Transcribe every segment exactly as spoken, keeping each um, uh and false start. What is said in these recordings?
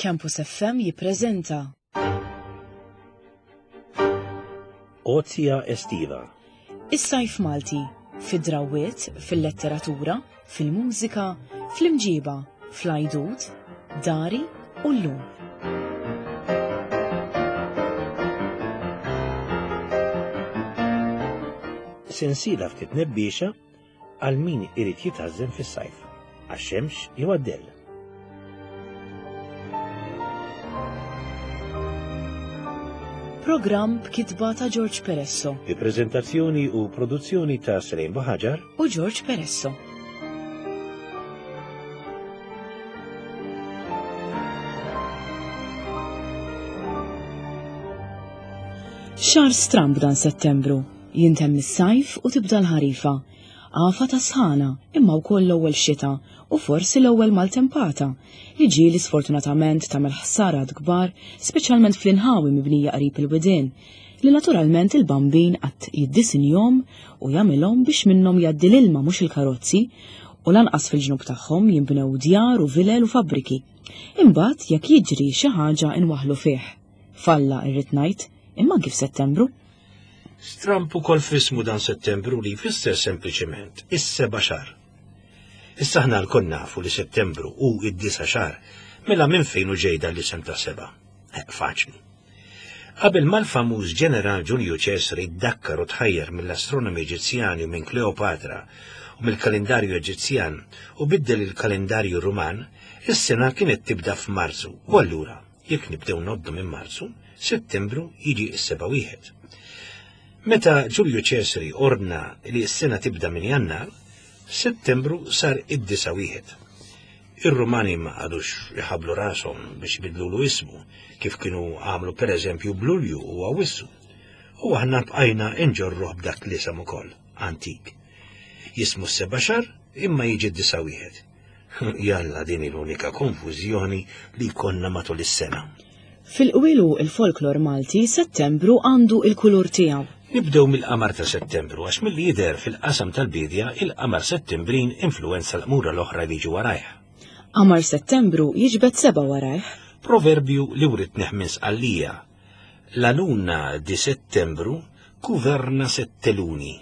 Campus F M jippreżenta Għotja Estiva. Is-sajf Malti fid-drawwiet, fil-letteratura, fil-mużika, fl-imġiba, fl-għajdut, dari u llum. Sensiela ftit nebbiexa għal min irid jitgħażżen fis-sajf, għax-xemx jew għad-dell. Programm b'kitba ta' George Peresso Bi preżentazzjoni u produzzjoni ta' Selene Buhagiar u George Peresso. Xahar stramb dan Settembru, jintemm is-sajf u tibda l-ħarifa. Għafa ta' sħana, imma wkoll l-ewwel xita u forsi l-ewwel maltempata li ġieli sfortunatament tagħmel ħsarat kbar, speċjalment fl-inħawi mibnija qrib il-widien, li naturalment il-bambin qatt jiddisinjhom u jagħmilhom biex minnhom jgħaddi l-ilma mhux il-karozzi, u lanqas fil-ġnub tagħhom jinbnew djar u vilel u fabbriki. Imbagħad jekk jiġri xi ħaġa inwaħħlu fih. Falla irrid ngħid, imma anki f'Settembru. Stramb ukoll f'ismu dan Settembru li jfisser sempliċement is-seba' xahar. Issa aħna lkoll nafu li Settembru hu id-disa' xahar, mela minn fejn hu ġej dan l-isem ta' seba'? Eh, faċli. Qabel mal-famuż ġeneral Ġulju Ċesari ddakkar u tħajjar mill-astronomi Eġizzjani u minn Kleopatra u mill-kalendarju Eġizzjan u biddel il-kalendarju Ruman, is-sena kienet tibda f'Marzu u allura, jekk nibdew ngħoddu minn Marzu, Settembru jiġi s-seba' wieħed. Meta Ġulju Ċesari ordna li s-sena tibda minn Jannar, Settembru sar id-disa' wieħed. Ir-Rumani ma qagħdux iħabblu rashom biex jbidlulu ismu, kif kienu għamlu pereżempju b'Lulju u Awwissu. U aħna bqajna nġorruh b'dak l-isem ukoll, antik. Jismu s-seba' xahar imma jiġi d-disa' wieħed. Jalla din l-unika konfużjoni li jkollna matul is-sena. Fil-qwilu il-folklor Malti, Settembru għandu il-kulur tiegħu. Nibdew mill-qamar ta' Settembru għax milli jidher fil-qasam tal-bidja il-qamar Settembrin influwenza l-qmura l-oħra li jiġu warajh. Qamar Settembru jiġbed seba' warajh. Proverbju li writnih minn Sqallija. La luna di Settembru governa sette luni.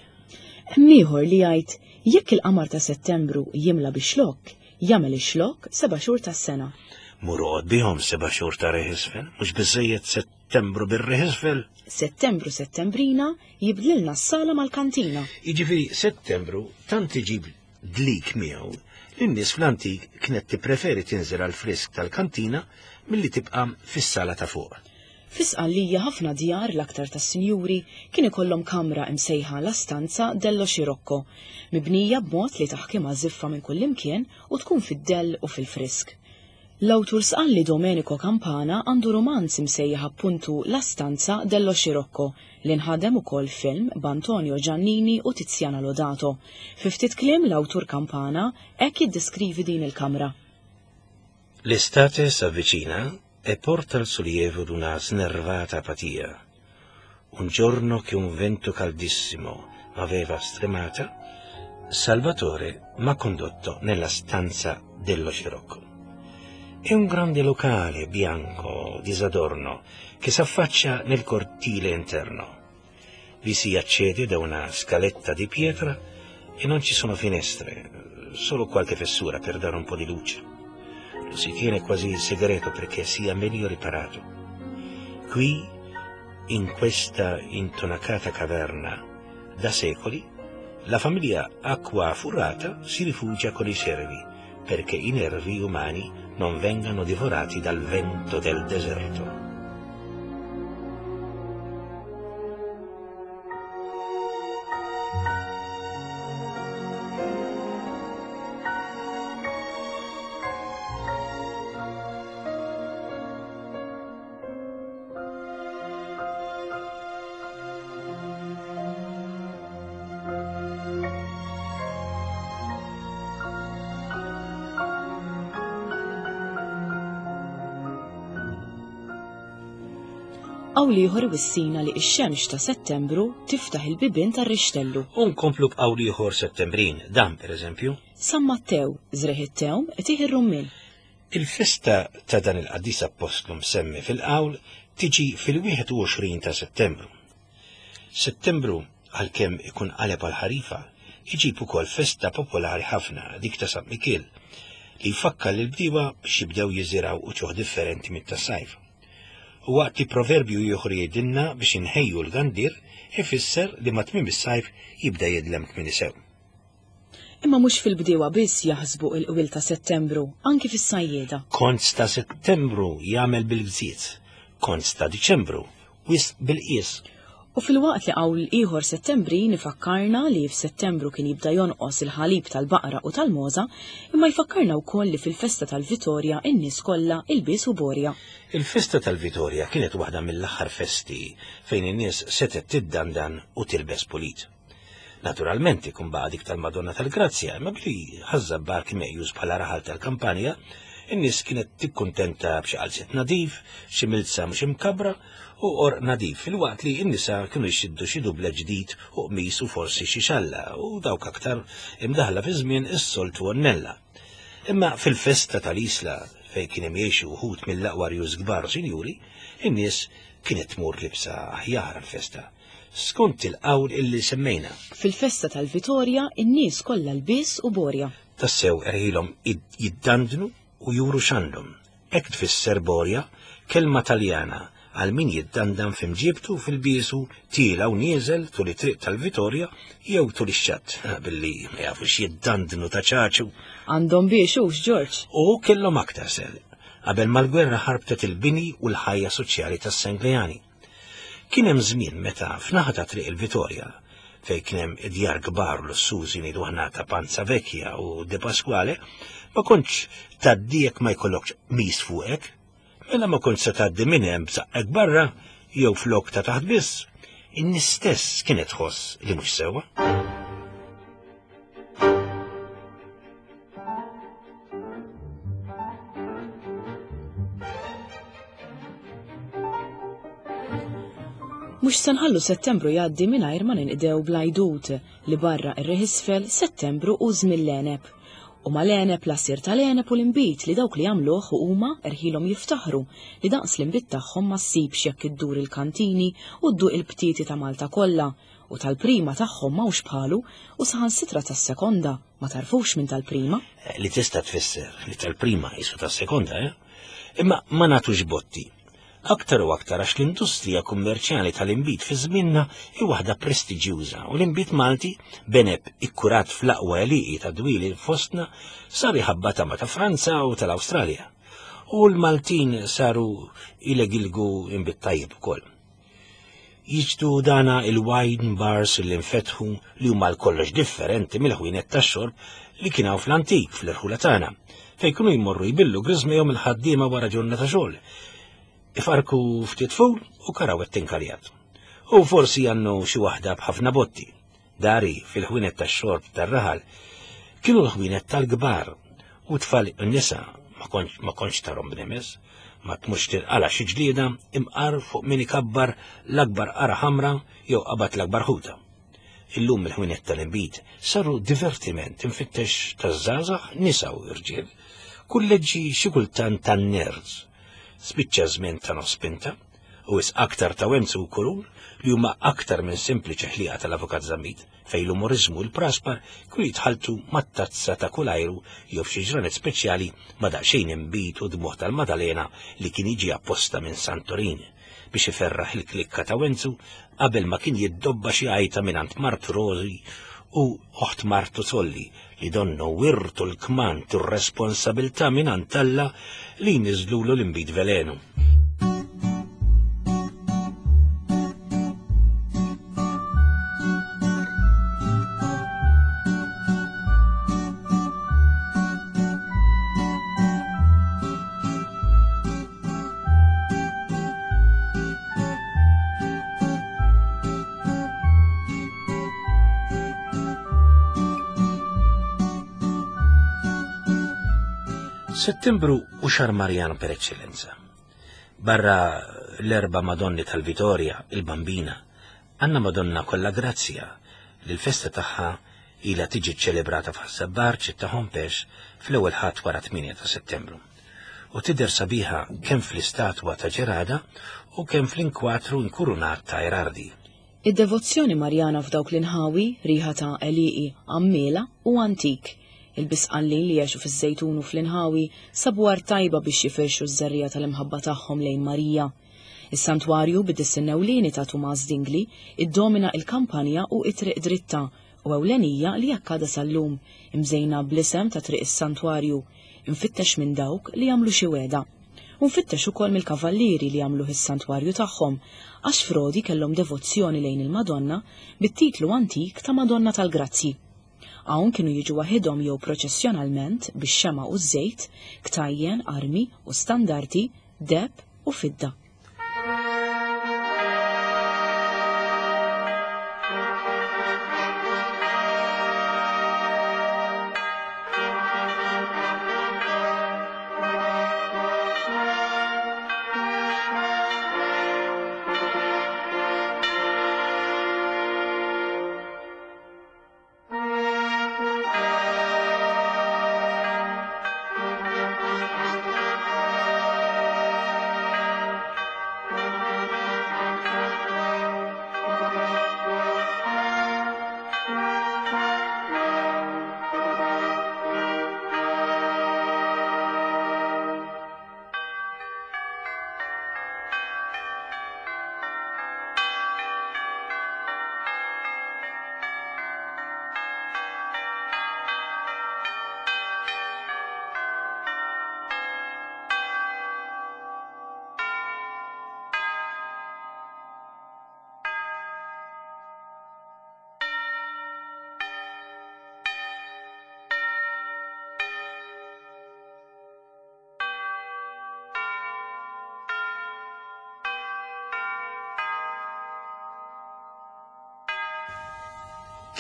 Hemm ieħor li jgħid jekk il-qamar ta' Settembru jimla bix-xlokk, jagħmel ix-xlokk seba' xhur tas-sena. Mur oqgħod bihom seba' xhur ta' riħ isfel, mhux biżejjed Settembru bir-riħ isfel. Settembru Settembrina jibdlilna s-sala mal-kantina. Jiġifieri Settembru tant iġib dlik miegħu li n-nies fl-antik kienet tippreferi tinżel għal frisk tal-kantina milli tibqa' fis-sala ta' fuq. Fi Sqallija ħafna djar l-aktar tas-sinjuri kien ikollhom kamra imsejħa la stanza dello Scirocco, mibnija b'mod li taħkimha żiffa minn kullimkien u tkun fid-dell u fil-frisk. L-awtur Sqalli Domenico Campana għandu romanz imsejjaħ appuntu La Stanza dello Scirocco li nħadem ukoll film b'Antonio Giannini u Tiziana Lodato. Fi ftit kliem l-awtur Campana hekk jiddeskrivi din il-kamra. L'estate s'avvicina e porta il sollievo d'una snervata apatia. Un giorno che un vento caldissimo m'aveva stremata, Salvatore m'ha condotto nella stanza dello Scirocco. È un grande locale bianco, disadorno, che s'affaccia nel cortile interno. Vi si accede da una scaletta di pietra e non ci sono finestre, solo qualche fessura per dare un po' di luce. Lo si tiene quasi segreto perché sia meglio riparato. Qui, in questa intonacata caverna, da secoli, la famiglia Acquafurata si rifugia con i servi, perché i nervi umani non vengano divorati dal vento del deserto. Qawl ieħor iwissina li x-xemx ta' Settembru tiftaħ il-bibien tar-rixtellu. U nkomplu b'qawl ieħor Settembrin, dan pereżempju. San Mattew, żrieħ it-tewm, itih ir-rummien. Il-festa ta' dan il-qaddis appostlu msemmi fil-qawl tiġi fil-wieħed u għoxrin ta' Settembru. Settembru, għalkemm ikun qaleb għal-ħarifa, iġib ukoll festa popolari ħafna, dik ta' San Mikiel, li jfakkar lill-bdiewa biex jibdew jiżiraw uċuħ differenti mit-tas-sajf. U waqt li proverbju ieħor jgħidilna biex inħejju l-gandir, ifisser li ma' tmiem is-sajf jibda jidlem kmieni sew. Imma mhux fil-bdiewa biss jaħsbu il-qwil ta' Settembru, anki fis-sajjieda. Konz ta' Settembru jagħmel bil-gżiet, konz ta' Diċembru wisq bil-qies. U fil-waqt li qawl ieħor Settembri nifakkarna li f'Settembru kien jibda jonqos il-ħalib tal-baqra u tal-moza, imma jfakkarna wkoll li fil-festa tal-Vitorja in-nies kollha ilbies u borja. Il-festa tal-Vitorja kienet waħda mill-aħħar festi fejn in-nies setgħet tiddandan u tilbes pulit. Naturalment ikun baqa' dik tal-Madonna tal-Grazzja, imma billi Ħaż-Żabbar kien meqjus bħala raħal tal-kampanja, in-nies kienet tikkuntenta b'xi qalziet nadif, xi milza mhux imkabra u qorq nadif, filwaqt li n-nisa kienu jxiddu xi dubla ġdid u qmis u forsi xi xalla u dawk aktar imdaħla fi żmien is-soltu għonnella. Imma fil-festa tal-Isla fejn kien hemm jgħixu wħud mill-aqwa rjus kbar u sinjuri, in-nies kienet tmur libsa aħjar għall-festa, skont il-qawl illi semmejna. Fil-festa tal-Vitorja, in-nies kollha lbies u borja. Tassew erħilhom id-, jiddandnu u juru x'għandhom. Hekk tfisser borja, kelma Taljana għal min jiddandan f'imġibtu fil-biesu tiela u nieżel tul it-triq tal-Vitorja jew tul ix-xatt, billi ma jafux jiddandnu ta' ċaċu. Għandhom biex hux, Ġorġ. U kellhom aktar sel, qabel mal-gwerra ħarbtet il-bini u l-ħajja soċjali tas-Senglejani. Kien hemm żmien meta f'naħa ta' triq il-Vitorja, fejn kien hemm id-djar kbar u lussużi ngħidu aħna ta' Panza Vecchia u De Pasquale, ma kontx tgħaddi jekk ma jkollokx mis fuqek, mela ma kontx se tgħaddi minn hemm b'saqqek barra jew flok ta' taħt biss. In-nies stess kienet tħoss li mhux sewwa. Mhux se nħallu Settembru jgħaddi mingħajr ma ninqdew bl-għajdut li barra ir-riħ isfel Settembru u żmien l-għeneb. U mal-għeneb l-għasir tal-għeneb u l-inbid li dawk li jagħmluh u huma erħilhom jiftaħru li daqs l-inbid tagħhom ma ssibx jekk iddur il-kantini u dduq il-btieti ta' Malta kollha u tal-prima tagħhom m'hawnx bħalu u saħansitra tas-sekonda ma tarfux minn tal-prima. Eh, li tista' tfisser li tal-prima jisu tas-sekonda, eh? Imma ma nagħtux botti. Aktar u aktar għax l-industrija kummerċjali tal-inbid fi żmienna hi waħda prestiġjuża u l-inbid Malti beneb ikkurat fl-aqwa għelieqi ta' dwieli fostna sar iħabba tama ta' Franza u tal-Awstralja. U l-Maltin saru ilegilgu inbid tajjeb ukoll. Jiġdu dana il-wine bars li nfetħu li huma l-kollox differenti mill-ħwienet tax-xorb li kien hawn fl-antik fl-irħula tagħna, fejn kienu jmorru jbillu griżmejhom il-ħaddiema wara ġurnata xogħol. Ifarku ftit ful u karawet tinkaljat. U forsi għannu xi waħda b'ħafna botti. Dari fil-ħwienet tax-xorb tar-raħal kienu l-ħwienet tal-kbar u tfal n-nisa ma kontx, ma kontx tarhom b'nemes, ma tmux tirqala xi ġlieda imqar fuq min ikabbar l-akbar qara ħamra jew qabad l-akbar ħuta. Illum il-ħwienet tal-inbid saru divertiment infittex taż-żgħażagħ nisa u irġiel, kulleġġi xi kultant tan-nerds. Spiċċa żmien ta' nospinta u is aktar ta' Wenzu u Kurun li huma aktar minn sempliċi ħlieqa tal-Avukat Zammit fejn l-umoriżmu u l-praspar kienu jitħaltu mat-tazza ta' kull ajru jew f'xi ġranet speċjali ma' daqsxejn inbid u dmuħ tal-Madalena li kien jiġi apposta minn Santorin biex iferraħ il-klikka ta' Wenzu qabel ma kien jiddobba xi għajta mingħand Martu Rosi u oħt Martu Solli li donnu wirtu l-kmand u r-responsabilità mingħand Alla li jniżlulu l-inbid velenu. Settembru u xahar Marjan per eccellenza. Barra l-erba Madonni tal-Vitorja, il-Bambina, għanna Madonna kollha grazzja li l-festa tagħha ilha tiġi ċċelebrata f'Ħaż-Żabbar, ċittà Hompex, fl-ewwel ħadd wara tmienja ta' Settembru. u tidher sabiħa kemm fl-istatwa ta' Ġerada u kemm fl-inkwatru inkurunat ta' Erardi. Id-devozzjoni Marjana f'dawk l-inħawi riħa ta' għelieqi għammiela u antik. Il-Bisqallin li għexu fiż-Żejtun u fl-inħawi sabu art tajba biex jifirxu ż-żerriegħa tal-imħabba tagħhom lejn Marija. Is-santwarju bid-disinn ewlieni ta' Tumas Dingli iddomina il-kampanja u it-triq dritta u ewlenija li jakkada sal-lum, imżejna bl-isem ta' triq is-santwarju, infittex minn dawk li jagħmlu xi wegħda. U nfittex ukoll mill-kavallieri li jagħmluh is-santwarju tagħhom, għax frodi kellhom devozzjoni lejn il-Madonna bit-titlu antik ta' Madonna tal-Grazzji. Hawn kienu jiġu waħidhom jew proċessjonalment bix-xema u ż-żejt, ktajjen, armi u standarti, deheb u fidda.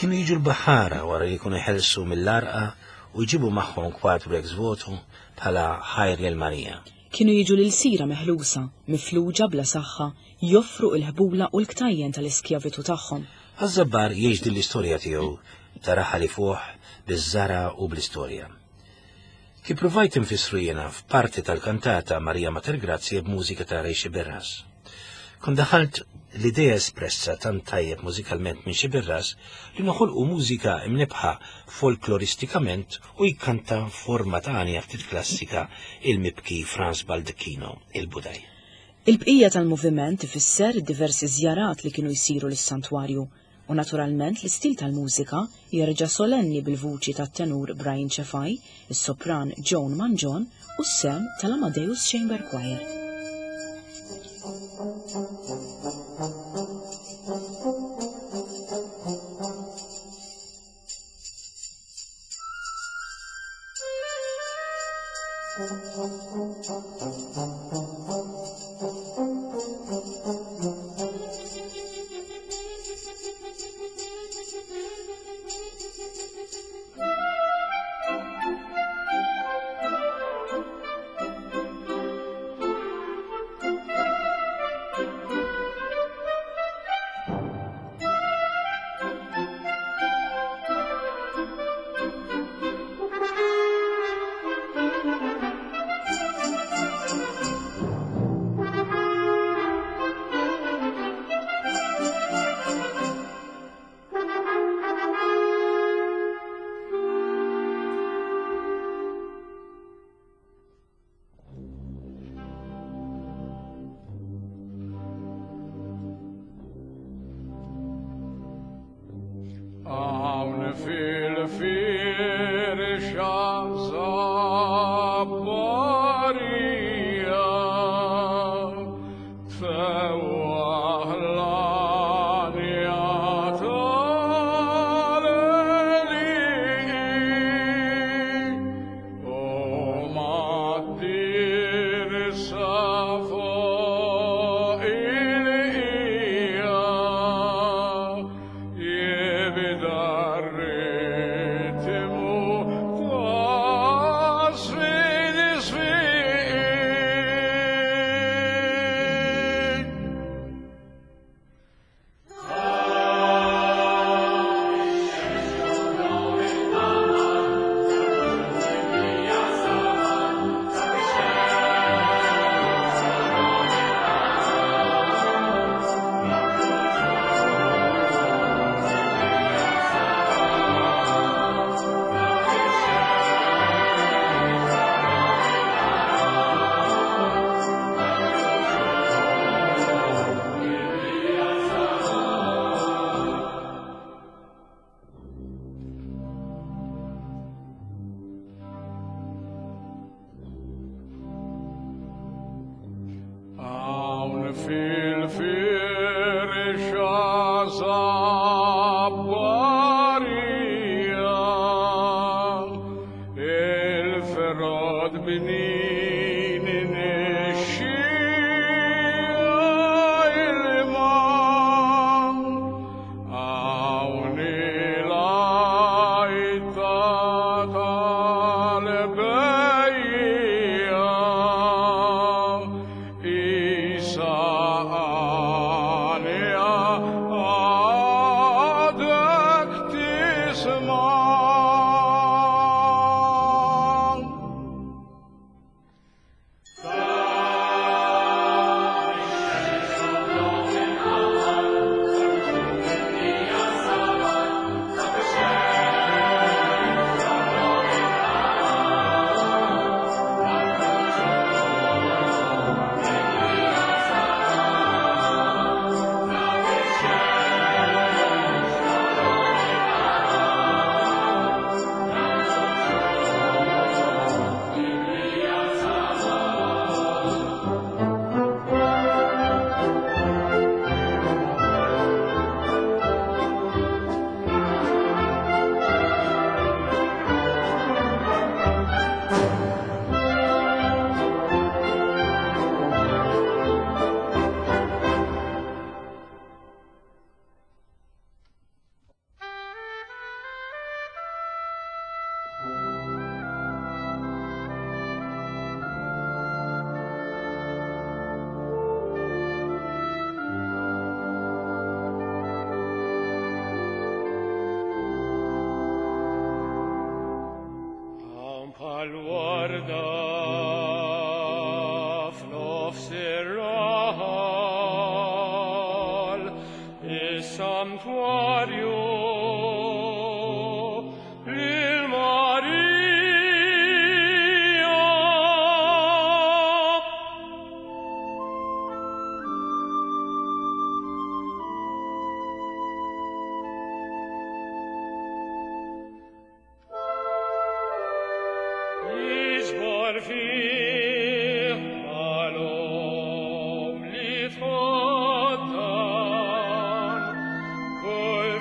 Kienu jiġu l-baħara wara li jkunu ħelsu mill-arqa u jġibu magħhom kwadru ex voto bħala ħajr lil Marija. Kienu jiġu l-sira meħlusa, mifluġa bla saħħa, joffru il-ħbula u l-ktajjen tal-iskjavitu tagħhom. Għaż-Żabbar jgħix din l-istorja tiegħu ta' raħal ifuħ biż-żara u bl-istorja. Kif provajt infissru jiena f'parti tal-kantata Marija Mater Grazie b'mużika ta' Ray Sciberras. Kon daħalt l-idea espressa tant tajjeb mużikalment minn Sciberras li noħolqu mużika imnebħa folkloristikament u jkanta forma ta' għanja ftit klassika il-mibki Franz Baldacchino, il-Budaj. Il-bqija tal-moviment ifisser diversi żjarat li kienu jsiru lis-santwarju u naturalment l-istil tal-mużika jerġa' solenni bil-vuċi tat-tenur Brian Cefai, is-sopran Joan Mangion u s-sem tal-Amadeus Chamber Choir. Fil-firxa zabbarija il-frod bnin nixxija ilma hawn il-għajta tal-bejja Isa għalija għadek tisma'. Hawn bħal warda f'nofs ir-raħal is-santwarju lil Marija. Jiġbor fih għalhom li tħaddan kull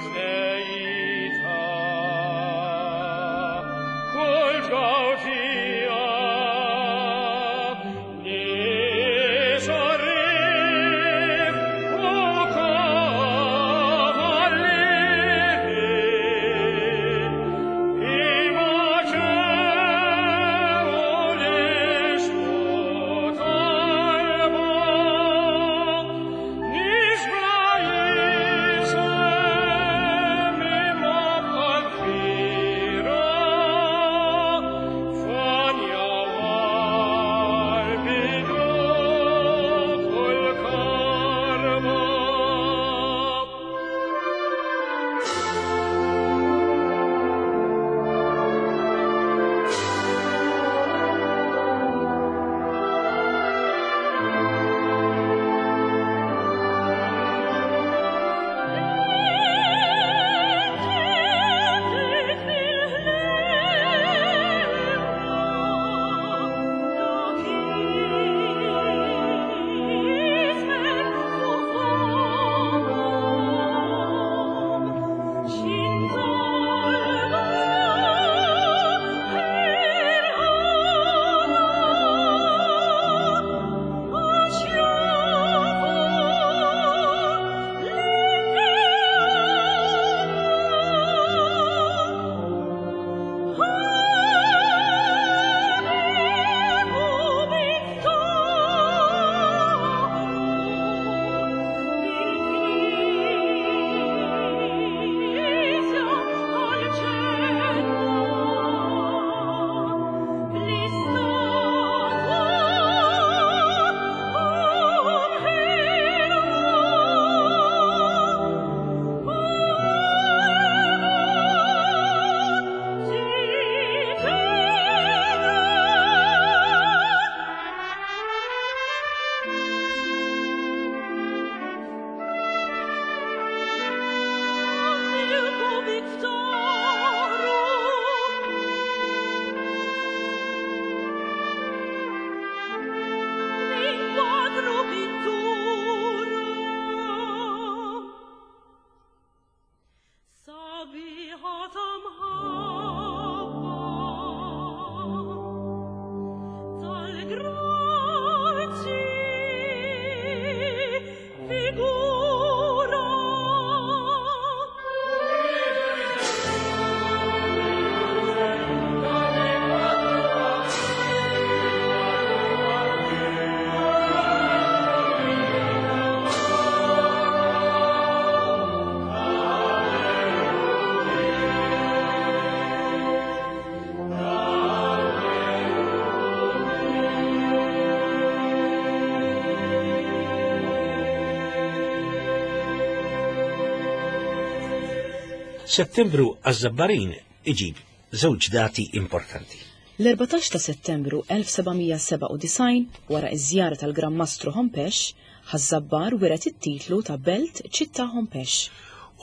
Settembru għaż-Żabbarin iġib żewġ dati importanti. L-erbatax ta' Settembru elf sebgħamija sebgħa u disgħin, wara iż-żjara tal-Gran Mastru Hompesch, Ħaż-Żabbar wiret it-titlu ta' Belt Ċittà Hompesch.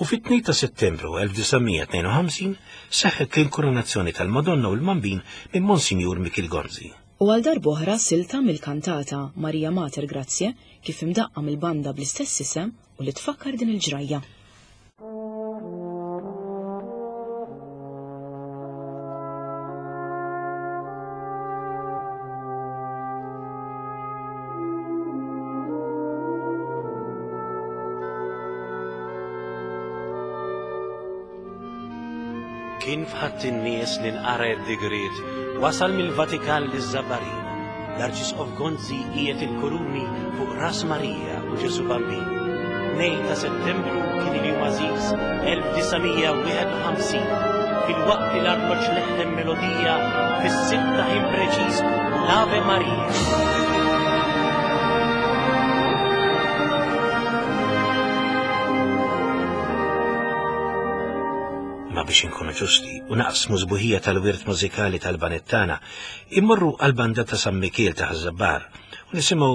U fit-tnejn ta' Settembru elf disa' mija tnejn u ħamsin seħħet l-inkoronazzjoni tal-Madonna u l-Mambin minn Monsinjur Mikiel Gonzi. U għal darb'oħra silta mill-kantata Maria Mater Grazie kif imdaqqa mill-banda bl-istess isem u li tfakkar din il-ġrajja. Kien fħatt in-nies li nqara d-digriet wasal mill-Vatikan liż-Żabbarin. L-Arċisqof Gonzi qiegħed il-kuruni fuq Ras Marija u Ġesu Bambin. Tnejn ta' Settembru kien il-jum għażiż elf disa' mija wieħed u ħamsin, fil-waqt li l-arloġġ leħħem melodija fis-sitta ħin preċiż l-Ave Maria. Ma biex inkunu ġusti u naqsmu sbuħija tal-wirt mużikali tal-Banettana, immorru għal-banda ta' San Mikiel ta' Ħaż-Żabbar u nisimgħu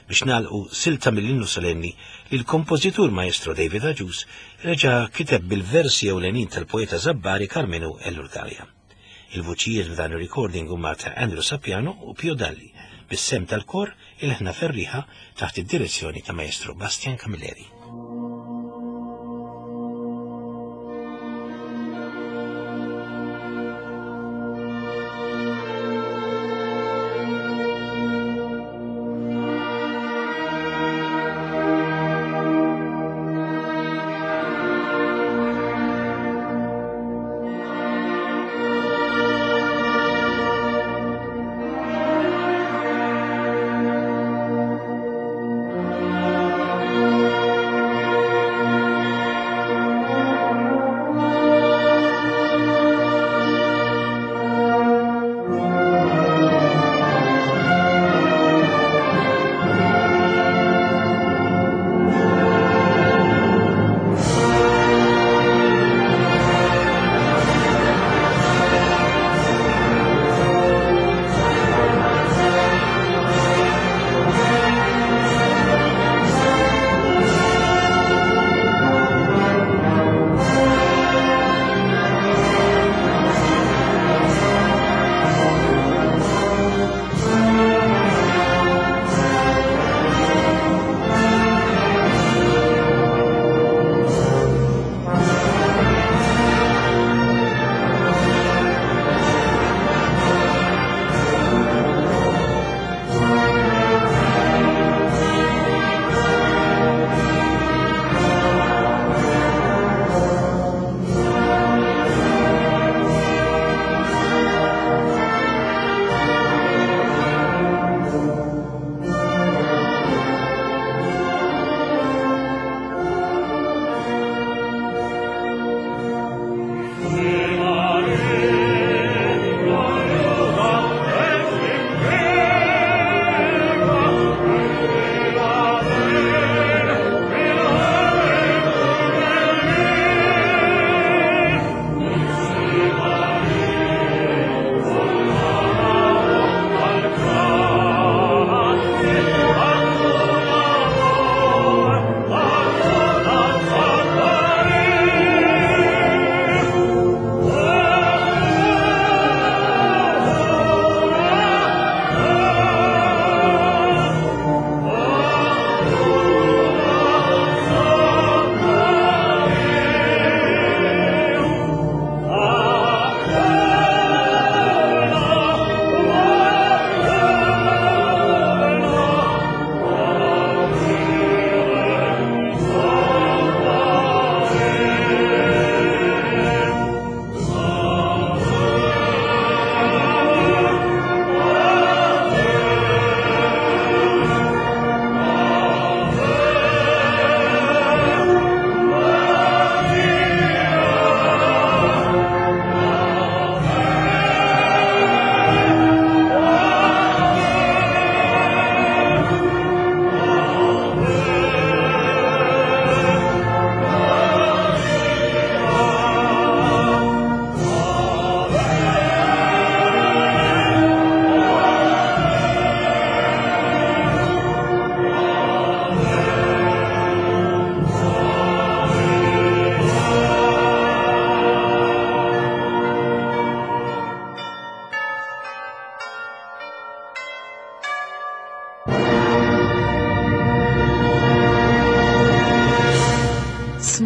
biex nagħlqu silta mill-innu solenni li l-kompożitur maestro David Agius reġa' kiteb bil-versi ewlenin tal-poeta Żabbari Karmenu Ellul Galea. Il-vuċijiet f'dan ir-recording huma ta' Andrew Sapiano u Pio Dalli, bis-sem tal-kor il-ħna ferriħa taħt id-direzzjoni ta' maestro Bastian Camilleri. Thank you.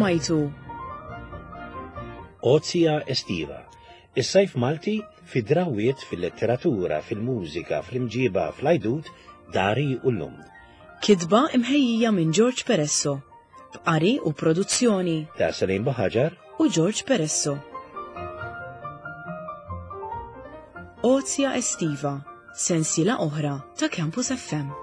Smajtu Ozja Estiva. Is-sajf Malti fi drawiet fil-letteratura, fil-mużika, fl-imġiba, fl-ajdut, dari u l-lum. Kitba imħejjija minn George Peresso. B'qari u produzzjoni Ta' Salim Baħaġar u George Peresso. Ozja Estiva, sensiela oħra ta' Campus F M.